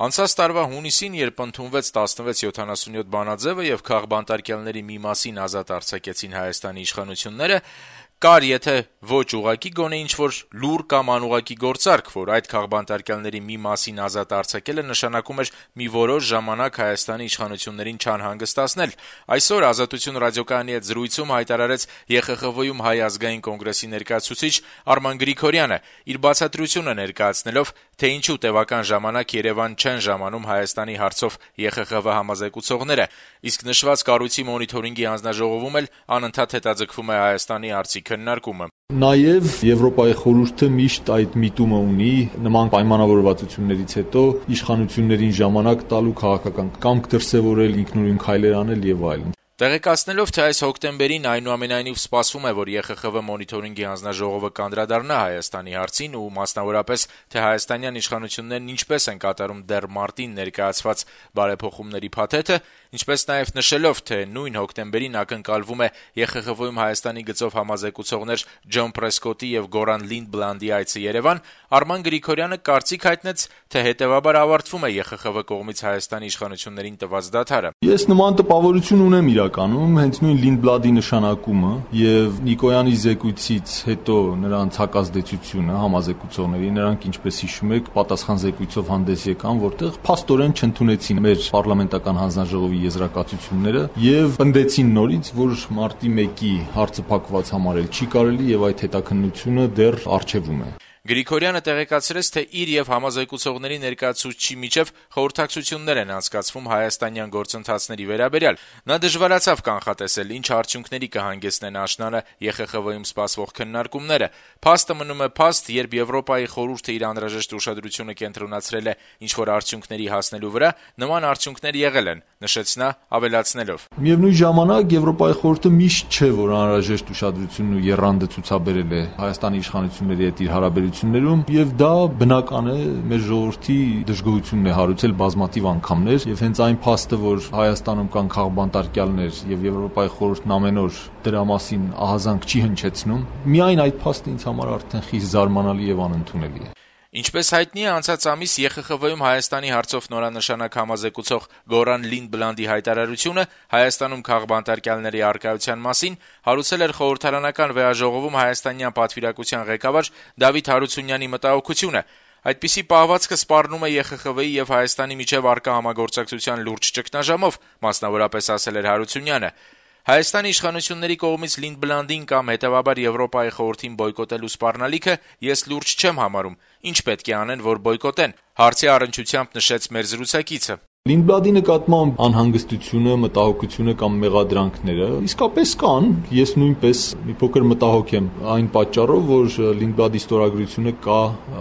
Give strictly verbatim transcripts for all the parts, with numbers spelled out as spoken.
Անցած տարվա հունիսին, երբ ընդունվեց տասնվեց յոթանասունյոթ բանաձեւը եւ քաղբանտարկյալների մի մասին ազատ արձակեցին Հայաստանի իշխանությունները, կար, եթե ոչ ուղղակի, գոնե ինչ-որ լուր կամ անուղղակի գործարք, որ այդ քաղբանտարկյալների մի մասին ազատ արձակելը նշանակում էր մի որոշ ժամանակ Հայաստանի իշխանություններին չանհանգստացնել։ Այսօր «Ազատություն» ռադիոկայանի հետ զրույցում հայտարարեց ԵԽԽՎ-ում Հայ ազգային կոնգրեսի ներկայացուցիչ Արման Գրիգորյանը, իր բացատրությունը ներկայացնելով, թե ինչու տևական ժամանակ Երևան չեն ժամանում Հայաստանի հարցով ԵԽԽՎ համազեկուցողները, իսկ նշված կառույցի մոնիթորինգի հանձնաժողովում էլ անընդհատ հետաձգվում է Հայաստանի հարցի քննարկումը։ Նաեւ Եվրոպայի խորհուրդը միշտ այդ միտումը ունի նման պայմանավորվածություններից հետո իշխանություններին ժամանակ տալու, քաղաքական կամք դրսևորել, ինքնուրույն քայլեր անել եւ այլն։ Տեղեկացնելով, թե այս հոկտեմբերին այնուամենայնիվ սպասվում է, որ ԵԽԽՎ մոնիթորինգի հանձնաժողովը կանդրադառնա Հայաստանի հարցին ու մասնավորապես, թե հայաստանյան իշխանություններն ինչպես են կատարում դեռ մարտին ներկայացված բարեփոխումների փաթեթը, ինչպես նաեւ նշելով, թե նույն հոկտեմբերին ակնկալվում է ԵԽԽՎ-ում Հայաստանի գծով համազեկուցողներ Ջոն Պրեսկոտի եւ Գորան Լինդբլանդի այցը Երևան, Արման Գրիգորյանը կարծիք հայտնեց, թե հետեւաբար ավարտվում է ԵԽԽՎ կողմից Հայաստանի իշխանություններին տված դադարը։ Ես նման տպավորություն ունեմ իրականում, հենց նույն Լինդբլանդի նշանակումը եւ Նիկոյանի զեկույցից հետո նրանց հակազդեցությունը համազեկուցողների, նրանք ինչպես հիշում եք, պատասխան զեկույցով հանդես եկան, որտեղ փաստորեն չընդունեցին մեր պարլամենտական հանձնաժողովի եզրակացությունները եւ պնդեցին նորից, որ մարտի մեկի հարցը փակված համարել չի կարելի եւ այդ հետաքննությունը դեռ առջեվում է։ Գրիգորյանը տեղեկացրեց, թե իր եւ համազեկուցողների ներկայացուցչի միջև խորհրդակցություններ են անցկացվում հայաստանյան գործընթացների վերաբերյալ։ Նա դժվարացավ կանխատեսել, ինչ արդյունքների կհանգեցնեն աշնանը ԵԽԽՎ-ում սպասվող քննարկումները։ Փաստը մնում է փաստ, երբ Եվրոպայի խորհուրդը իր անհրաժեշտ ուշադրությունը կենտրոնացրել է ինչ-որ արդյունքների հասնելու վրա, նման արդյունքներ եղել են, նշեց նա, ավելացնելով. Միևնույն ժամանակ Եվրոպայի խորհուրդը միշտ չէ, որ անհրաժեշտ ուշադրությունն ու եռանդը ցուցաբերել է Հայաստանի իշխանությունների հետ իր հարաբերություններում, եւ դա բնական է, մեր ժողովրդի դժգոհությունն է հարուցել բազմաթիվ անգամներ, եւ հենց այն փաստը, որ Հայաստանում կան քաղբանտարկյալներ եւ Եվրոպայի խորհուրդն ամեն օր դրա մասին ահազանգ չի հնչեցնում, միայն այդ փաստը ինձ համար արդեն խիստ զարմանալի եւ անընդունելի է։ Ինչպես հայտնի է, անցած ամիս ԵԽԽՎ-ում Հայաստանի հարցով նորանշանակ համազեկուցող Գորան Լինդբլանդի հայտարարությունը Հայաստանում քաղբանտարկյալների առկայության մասին հարուցել էր խորհրդարանական վեաժողովում հայաստանյան պատվիրակության ղեկավար Դավիթ Հարությունյանի մտահոգությունը։ Այդպիսի պահվածքը սպառնում է ԵԽԽՎ-ի եւ Հայաստանի միջև առկա համագործակցության լուրջ ճգնաժամով, մասնավորապես ասել էր Հարությունյանը։ Հայաստանի իշխանությունների կողմից Լինդբլանդին կամ հետեւաբար Եվրոպայի խորհրդին բոյկոտելու սպառնալիքը ես լուրջ չեմ համարում։ Ինչ պետք է անեն, որ բոյկոտեն։ Հարցի առնչությամբ նշեց մեր զրուցակիցը. Լինդբլանդի նկատմամբ անհանգստությունը, մտահոգությունը կամ մեղադրանքները իսկապես կան։ Ես նույնպես մի փոքր մտահոգ եմ այն պատճառով, որ Լինդբլանդի ստորագրությունը կա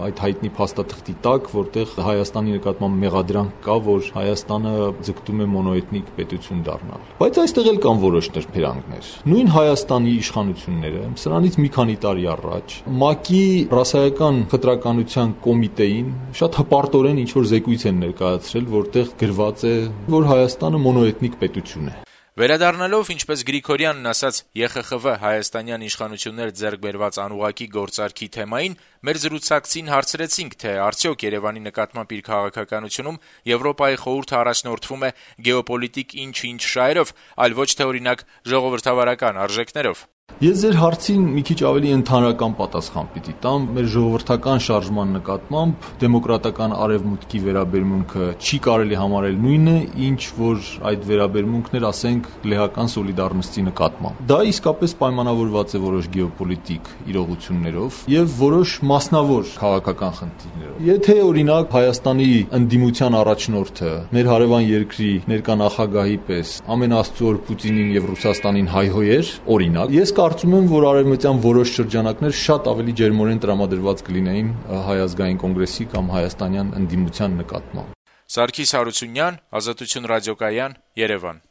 այդ հայտնի փաստաթղթի տակ, որտեղ Հայաստանի նկատմամբ մեղադրանք կա, որ Հայաստանը ձգտում է մոնոէթնիկ պետություն դառնալ։ Բայց այստեղ էլ կան որոշ նրբերանգներ։ Նույն Հայաստանի իշխանությունները սրանից մի քանի տարի առաջ ՄԱԿ-ի ռասայական խտրականության կոմիտեին շատ հպարտորեն ինչ-որ զեկույց են ներկայացրել, որտեղ գրված է, որ Հայաստանը մոնոէթնիկ պետություն է։ Վերադառնալով, ինչպես Գրիգորյանն ասաց, ԵԽԽՎ հայաստանյան իշխանություններ ձեռք բերված անուղղակի գործարքի թեմային, մեր զրուցակցին հարցրեցինք, թե արդյոք Երևանի նկատմամբ իր քաղաքականությունում Եվրոպայի խորհուրդը առաջնորդվում է գեոպոլիտիկ ինչ-ինչ շահերով, այլ ոչ թե օրինակ ժողովրդավարական արժեքներով։ Ես ձեր հարցին մի քիչ ավելի ընդհանրական պատասխան պիտի տամ։ Մեր ժողովրդական շարժման նկատմամբ դեմոկրատական արևմուտքի վերաբերմունքը չի կարելի համարել նույնը, ինչ որ այդ վերաբերմունքն էր, ասենք, լեհական սոլիդարնստի նկատմամբ։ Դա իսկապես պայմանավորված է որոշ գեոպոլիտիկ իրողություններով եւ որոշ մասնավոր քաղաքական խնդիրներով։ Եթե օրինակ Հայաստանի ընդդիմության առաջնորդը մեր հարևան երկրի ներկա նախագահի պես ամեն աստծո Պուտինին եւ Ռուսաստանին հայհոյեր, օրինակ, ես կարծում եմ, որ արևմտյան որոշ շրջանակներ շատ ավելի ջերմորեն տրամադրված կլինեին Հայ ազգային կոնգրեսի կամ հայաստանյան ընդդիմության նկատմամբ։ Սարգիս Հարությունյան, Ազատություն ռադիոկայան, Երևան։